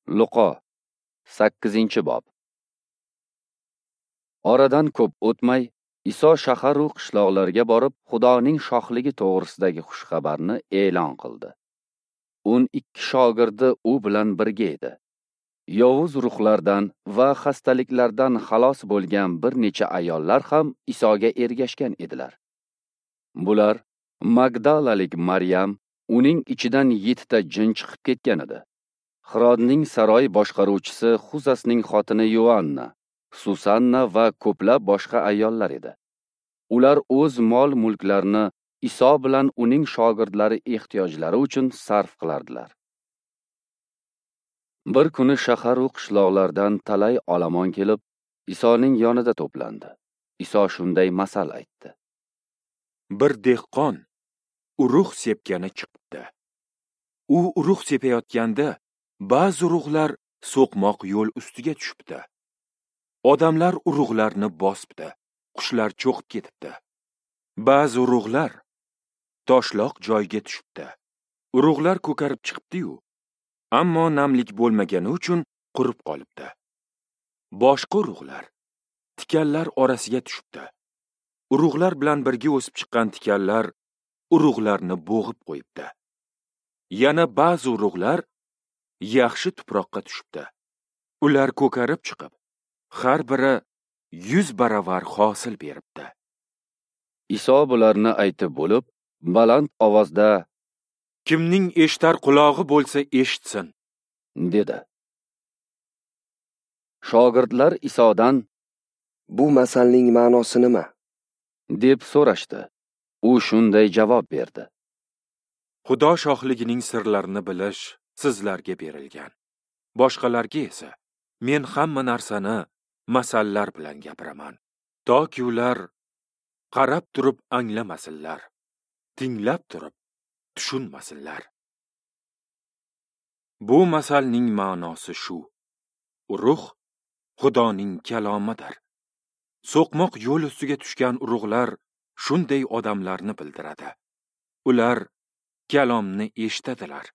Luqo 8-bob. Oradan ko'p o'tmay, Iso shahar u qishloqlarga borib, Xudoning shohligi to'g'risidagi xushxabarni e'lon qildi. 12 shogirdi u bilan birga edi. Yovuz ruhlardan va xastaliklardan xalos bo'lgan bir necha ayollar ham Isoga ergashgan edilar. Bular Magdalalik Maryam, uning ichidan 7 ta jin chiqib ketgan edi. Xirodning saroy boshqaruvchisi Xuzasning xotini Yoanna, Susanna va ko'plab boshqa ayollar edi. Ular o'z mol-mulklarini Iso bilan uning shogirdlari ehtiyojlari uchun sarf qilardilar. Bir kuni shahar u qishloqlardan talay olomon kelib, Isoning yonida to'plandi. Iso shunday masal aytdi. Bir dehqon urug' sepgani chiqibdi. U urug' sepayotganda ba'zi urug'lar so'qmoq yo'l ustiga tushibdi. Odamlar urug'larni bosibdi, qushlar cho'qib ketibdi. Ba'zi urug'lar toshloq joyga tushibdi. Urug'lar ko'karib chiqibdi-yu, ammo namlik bo'lmagani uchun qurib qolibdi. Boshqa urug'lar tikanlar orasiga tushibdi. Urug'lar bilan birga o'sib chiqqan tikanlar urug'larni bo'g'ib qo'yibdi. Yana ba'zi urug'lar yaxshi tuproqqa tushibdi. Ular ko'karib chiqib, har biri 100 baravar hosil beribdi. Iso bularni aytib bo'lib, baland ovozda: "Kimning eshitar qulog'i bo'lsa eshitsin", dedi. Shogirdlar Isodan: "Bu masalning ma'nosi nima?" deb so'rashdi. U shunday javob berdi: "Xudo shohligining sirlarini bilish sizlarga berilgan. Boshqalarga esa men hamma narsani masallar bilan gapiraman, toki ular qarab turib anglamasinlar, tinglab turib tushunmasinlar. Bu masalning ma'nosi shu: urug' Xudoning kalomidir. So'qmoq yo'l ustiga tushgan urug'lar shunday odamlarni bildiradi. Ular kalomni eshitadilar,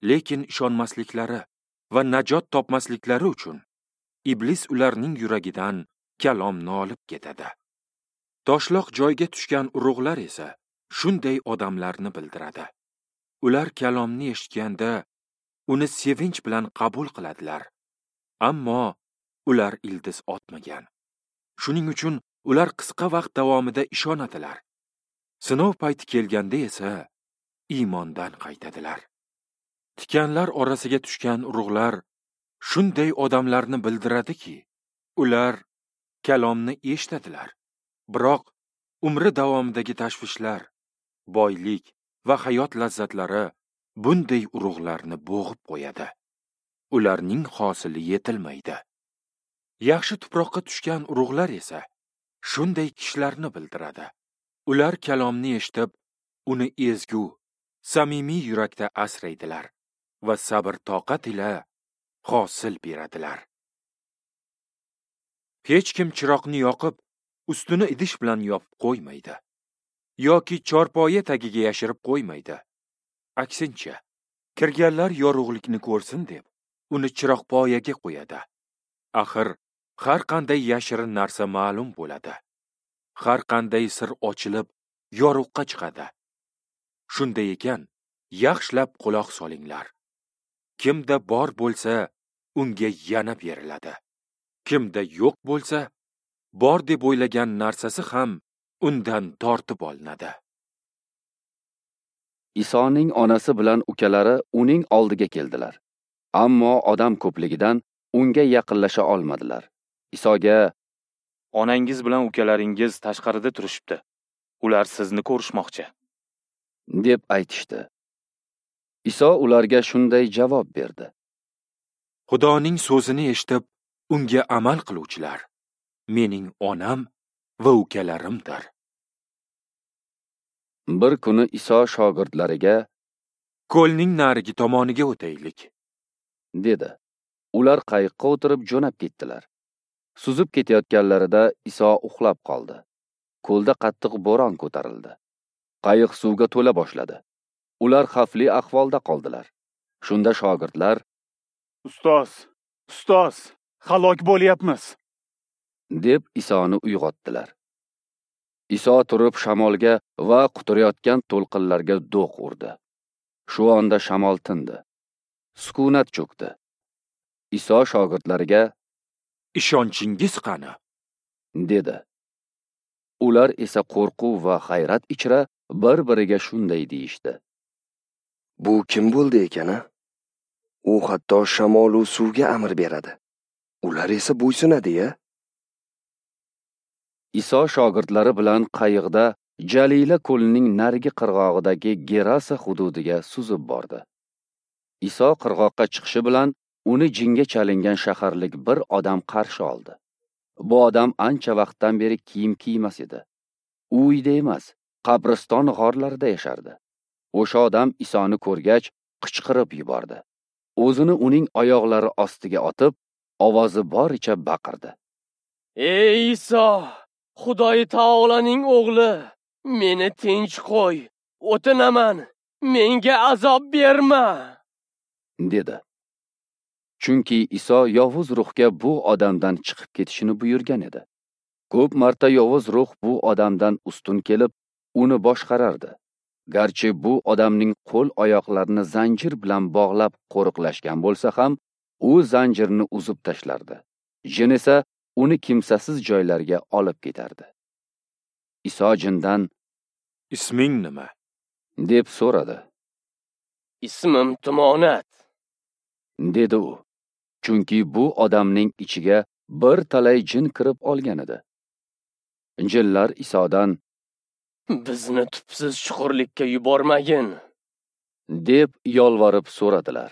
lekin ishonmasliklari va najot topmasliklari uchun iblis ularning yuragidan kalomni olib ketadi. Toshloq joyga tushgan urug'lar esa shunday odamlarni bildiradi. Ular kalomni eshitganda uni sevinch bilan qabul qiladilar, ammo ular ildiz otmagan. Shuning uchun ular qisqa vaqt davomida ishonadilar. Sinov payti kelganda esa iymondan qaytadilar. Tikanlar orasiga tushgan urug'lar shunday odamlarni bildiradiki, ular kalomni eshitadilar, biroq umri davomidagi tashvishlar, boylik va hayot lazzatlari bunday urug'larni bo'g'ib qo'yadi. Ularning hosili yetilmaydi. Yaxshi tuproqqa tushgan urug'lar esa shunday kishilarni bildiradi. Ular kalomni eshitib, uni ezgu, samimiy yurakda asraydilar va sabr-toqat ila hosil beradilar. Hech kim chiroqni yoqib, ustini idish bilan yopib qo'ymaydi yoki chorpoya tagiga yashirib qo'ymaydi. Aksincha, kirganlar yorug'likni ko'rsin deb uni chiroqpoyaga qo'yadi. Axir har qanday yashirin narsa ma'lum bo'ladi. Har qanday sir ochilib, yorug'qa chiqadi. Shunday ekan, yaxshilab quloq solinglar. Kimda bor bo'lsa, unga yana beriladi. Kimda yo'q bo'lsa, bor deb o'ylagan narsasi ham undan tortib olinadi." Isoning onasi bilan ukalari uning oldiga keldilar. Ammo odam ko'pligidan unga yaqinlasha olmadilar. Isoga: "Onangiz bilan ukalaringiz tashqarida turishibdi. Ular sizni ko'rishmoqchi", deb aytishdi. Iso ularga shunday javob berdi: "Xudoning so'zini eshitib, unga amal qiluvchilar mening onam va ukalarimdir." Bir kuni Iso shogirdlariga: "Ko'lning narigi tomoniga o'taylik", dedi. Ular qayiqqa o'tirib jo'nab ketdilar. Suzib ketayotganlarida Iso uxlab qoldi. Ko'lda qattiq bo'ron ko'tarildi. Qayiq suvga to'la boshladi. Ular xavfli ahvolda qoldilar. Shunda shogirdlar: Ustoz, ustoz, halok bo'lyapmiz, deb Isoni uyg'otdilar. Iso turib shamolga va quturayotgan to'lqinlarga do'q urdi. Shu onda shamol tindi. Sukunat cho'kdi. Iso shogirdlariga: Ishonchingiz qani? dedi. Ular esa qo'rquv va hayrat ichra bir-biriga shunday deyishdi: Bu kim bo'ldi ekan, a? U hatto shamol u suvga amr beradi. Ular esa bo'ysunadi-ya. Iso shogirdlari bilan qayiqda Jalila ko'lining narigi qirg'og'idagi Gerasa hududiga suzib bordi. Iso qirg'oqqa chiqishi bilan uni jinga chalingan shaharlik bir odam qarshi oldi. Bu odam ancha vaqtdan beri kiyim kiymas edi. U uyda emas, qabriston g'orlarida yashardi. O'sha odam Isoni ko'rgach, qichqirib yubordi. O'zini uning oyoqlari ostiga otib, ovozi boricha baqirdi: Ey Iso, Xudoy taolaning o'g'li, meni tinch qo'y, o'tinaman, menga azob berma, dedi. Chunki Iso yovuz ruhga bu odamdan chiqib ketishini buyurgan edi. Ko'p marta yovuz ruh bu odamdan ustun kelib, uni boshqarardi. Garchi bu odamning qo'l oyoqlarini zanjir bilan bog'lab qo'riqlashgan bo'lsa ham, u zanjirni uzib tashlardi. Jin esa uni kimsasiz joylarga olib ketardi. Iso jindan: Isming nima? deb so'radi. Ismim Tumonat, dedi u. Chunki bu odamning ichiga bir talay jin kirib olgan edi. Jinlar Isodan: Bizni tubsiz chuqurlikka yubormagin, deb yolvorib so'radilar.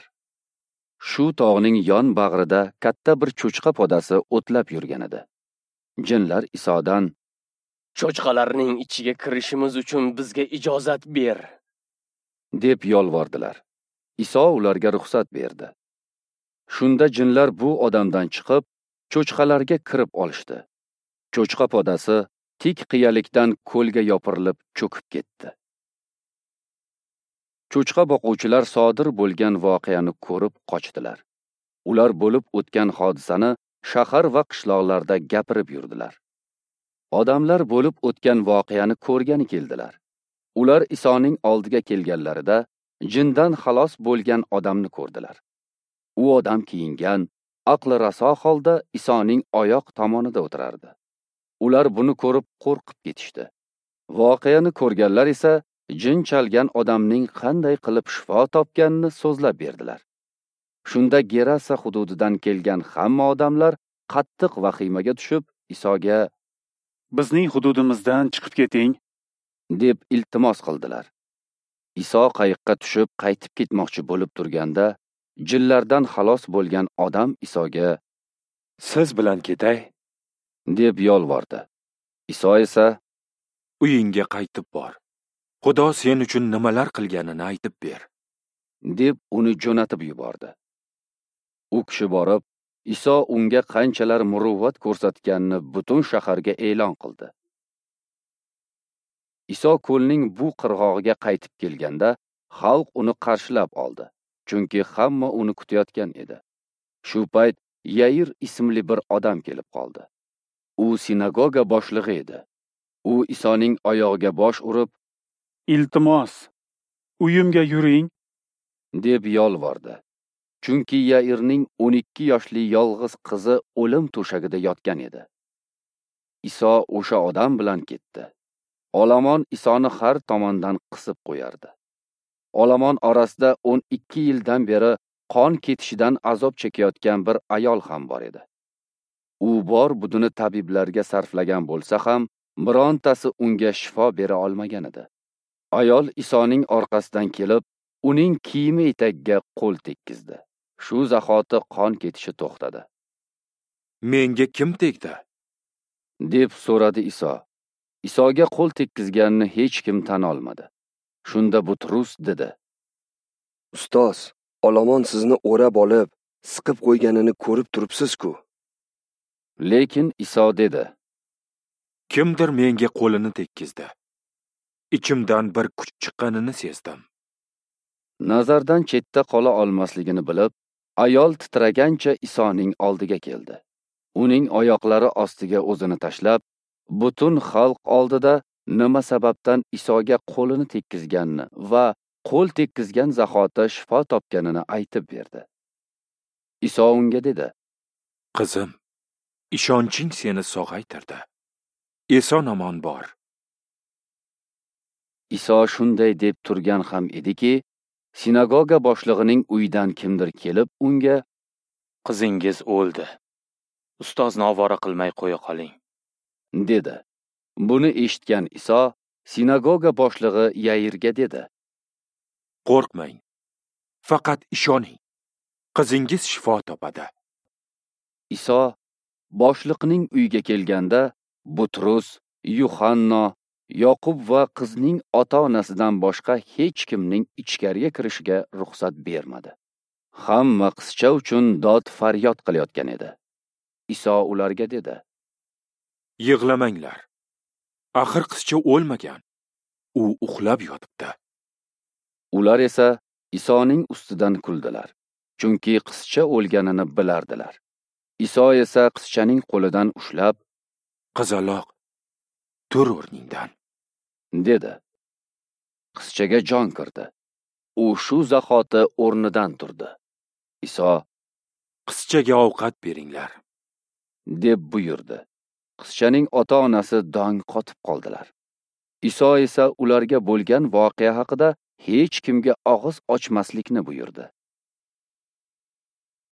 Shu tog'ning yon bag'rida katta bir cho'chqa podasi o'tlab yurgan edi. Jinlar Isodan: Cho'chqalarning ichiga kirishimiz uchun bizga ijozat ber, deb yolvordilar. Iso ularga ruxsat berdi. Shunda jinlar bu odamdan chiqib, cho'chqalarga kirib olishdi. Cho'chqa podasi tik qiyalikdan ko'lga yopirilib cho'kib ketdi. Cho'chqa boquvchilar sodir bo'lgan voqeani ko'rib qochdilar. Ular bo'lib o'tgan hodisani shahar va qishloqlarda gapirib yurdilar. Odamlar bo'lib o'tgan voqeani ko'rgani keldilar. Ular Isoning oldiga kelganlarida jindan xalos bo'lgan odamni ko'rdilar. U odam kiyingan, aqli raso holda Isoning oyoq tomonida o'tirardi. Ular buni ko'rib qo'rqib ketishdi. Voqeani ko'rganlar esa jin chalgan odamning qanday qilib shifo topganini so'zlab berdilar. Shunda Gerasa hududidan kelgan hamma odamlar qattiq vahimaga tushib, Isoga: Bizning hududimizdan chiqib keting, deb iltimos qildilar. Iso qayiqqa tushib qaytib ketmoqchi bo'lib turganda, jinlardan xalos bo'lgan odam Isoga: Siz bilan ketay, deb yolvordi. Iso esa: Uyingga qaytib bor. Xudo sen uchun nimalar qilganini aytib ber, deb uni jo'natib yubordi. U kishi borib, Iso unga qanchalar muruvvat ko'rsatganini butun shaharga e'lon qildi. Iso ko'lning bu qirg'og'iga qaytib kelganda, xalq uni qarshilab oldi, chunki hamma uni kutayotgan edi. Shu payt Yair ismli bir odam kelib qoldi. U sinagoga boshlig'i edi. U Isoning oyog'iga bosh urib, Iltimos, uyimga yuring, deb yolvordi. Chunki Yairning 12 yoshli yolg'iz qizi o'lim to'shagida yotgan edi. Iso o'sha odam bilan ketdi. Olomon Isoni har tomondan qisib qo'yardi. Olomon orasida 12 yildan beri qon ketishidan azob chekayotgan bir ayol ham bor edi. U bor budini tabiblarga sarflagan bo'lsa ham, birontasi unga shifo bera olmagan edi. Ayol Isoning orqasidan kelib, uning kiyimi etagiga qo'l tekkizdi. Shu zahoti qon ketishi to'xtadi. Menga kim tegdi? Deb so'radi Iso. Isoga qo'l tekkizganini hech kim tan olmadi. Shunda Butrus dedi: Ustoz, olomon sizni o'rab olib, siqib qo'yganini ko'rib turibsiz-ku. Lekin Iso dedi: Kimdir menga qo'lini tekkizdi. Ichimdan bir kuch chiqqanini sezdim. Nazardan chetda qola olmasligini bilib, Ayol titragancha Isoning oldiga keldi. Uning oyoqlari ostiga o'zini tashlab, butun xalq oldida nima sababdan Isoga qo'lini tekkizganini va qo'l tekkizgan zahoti shifo topganini aytib berdi. Iso unga dedi: Qizim, ishonching seni sog'aytirdi. Eson-omon bor. Iso shunday deb turgan ham ediki, sinagoga boshlig'ining uyidan kimdir kelib unga: Qizingiz o'ldi. Ustozni ovora qilmay qo'ya qoling, dedi. Buni eshitgan Iso sinagoga boshlig'i Yairga dedi: Qo'rqmang. Faqat ishoning. Qizingiz shifo topadi. Iso boshliqning uyiga kelganda Butrus, Yuhanno, Yoqub va qizning ota-onasidan boshqa hech kimning ichkariga kirishiga ruxsat bermadi. Hamma qizcha uchun dod faryod qilayotgan edi. Iso ularga dedi: Yig'lamanglar. Axir qizcha o'lmagan. U uxlab yotibdi. Ular esa Isoning ustidan kuldilar, chunki qizcha o'lganini bilardilar. Iso esa qizchaning qo'lidan ushlab: Qizaloq, tur o'rningdan, dedi. Qizchaga jon kirdi. U shu zahoti o'rnidan turdi. Iso: Qizchaga ovqat beringlar, deb buyurdi. Qizchaning ota-onasi dong qotib qoldilar. Iso esa ularga bo'lgan voqea haqida hech kimga og'iz ochmaslikni buyurdi.